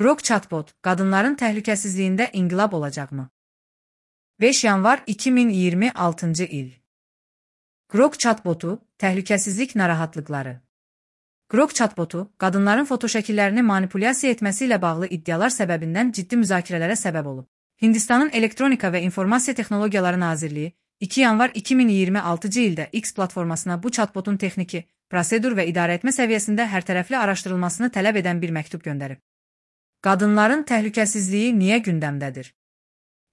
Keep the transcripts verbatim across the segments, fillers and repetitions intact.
Grok chatbot, qadınların təhlükəsizliyində inqilab olacaqmı? beş yanvar iki min iyirmi altıncı il. Grok chatbotu, təhlükəsizlik narahatlıqları. Grok chatbotu, qadınların fotoşəkillərini manipulyasiya etməsi ilə bağlı iddialar səbəbindən ciddi müzakirələrə səbəb olub. Hindistanın Elektronika və İnformasiya Texnologiyaları Nazirliyi iki yanvar iki min iyirmi altıncı ildə X platformasına bu chatbotun texniki, prosedur və idarəetmə səviyyəsində hərtərəfli araşdırılmasını tələb edən bir məktub göndərib. Qadınların təhlükəsizliyi niyə gündəmdədir?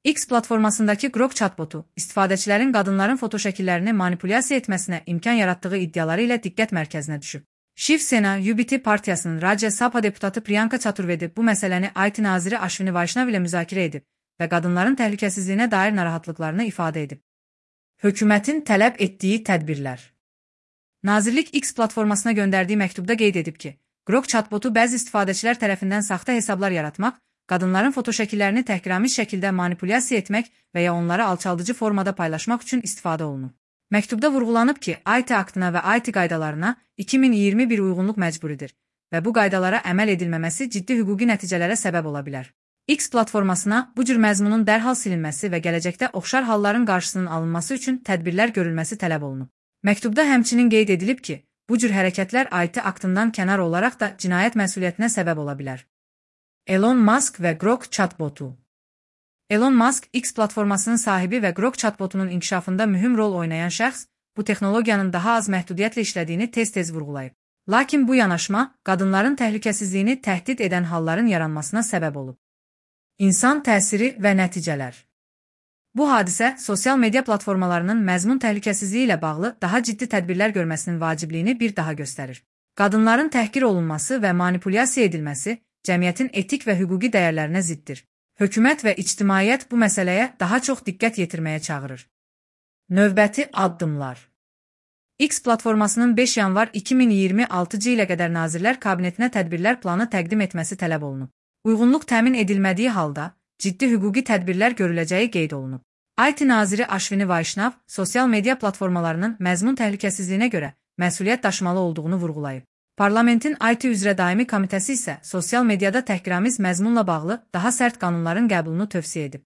X platformasındakı Grok chatbotu, istifadəçilərin qadınların fotoşəkillərini manipulyasiya etməsinə imkan yaratdığı iddiaları ilə diqqət mərkəzinə düşüb. Shiv Sena U B T partiyasının Rajya Sabha deputatı Priyanka Chaturvedi bu məsələni I T naziri Ashwini Vaishnav ilə müzakirə edib və qadınların təhlükəsizliyinə dair narahatlıqlarını ifadə edib. Hökumətin tələb etdiyi tədbirlər. Nazirlik X platformasına göndərdiyi məktubda qeyd edib ki, Grok chatbotu bəzi istifadəçilər tərəfindən saxta hesablar yaratmaq, qadınların fotoşəkillərini təhqiramiz şəkildə manipulyasiya etmək və ya onları alçaldıcı formada paylaşmaq üçün istifadə olunub. Məktubda vurğulanıb ki, I T aktına və I T qaydalarına iki min iyirmi bir uyğunluq məcburidir və bu qaydalara əməl edilməməsi ciddi hüquqi nəticələrə səbəb ola bilər. X platformasına bu cür məzmunun dərhal silinməsi və gələcəkdə oxşar halların qarşısının alınması üçün tədbirlər görülməsi tələb olunub. Məktubda həmçinin qeyd edilib ki, bu cür hərəkətlər I T aktından kənar olaraq da cinayət məsuliyyətinə səbəb ola bilər. Elon Musk və Grok chatbotu. Elon Musk, X platformasının sahibi və Grok chatbotunun inkişafında mühüm rol oynayan şəxs, bu texnologiyanın daha az məhdudiyyətlə işlədiyini tez-tez vurğulayıb. Lakin bu yanaşma, qadınların təhlükəsizliyini təhdid edən halların yaranmasına səbəb olub. İnsan təsiri və nəticələr. Bu hadisə, sosial media platformalarının məzmun təhlükəsizliyi ilə bağlı daha ciddi tədbirlər görməsinin vacibliyini bir daha göstərir. Qadınların təhqir olunması və manipulyasiya edilməsi, cəmiyyətin etik və hüquqi dəyərlərinə ziddir. Hökumət və ictimaiyyət bu məsələyə daha çox diqqət yetirməyə çağırır. Növbəti addımlar. X platformasının beş yanvar iki min iyirmi altıncı ilə qədər Nazirlər Kabinetinə tədbirlər planı təqdim etməsi tələb olunub. Uyğunluq təmin edilmədiyi halda, ciddi hüquqi tədbirlər görüləcəyi qeyd olunub. I T naziri Ashwini Vaishnav, sosial media platformalarının məzmun təhlükəsizliyinə görə məsuliyyət daşımalı olduğunu vurğulayıb. Parlamentin I T üzrə daimi komitəsi isə sosial mediada təhqiramiz məzmunla bağlı daha sərt qanunların qəbulunu tövsiyə edib.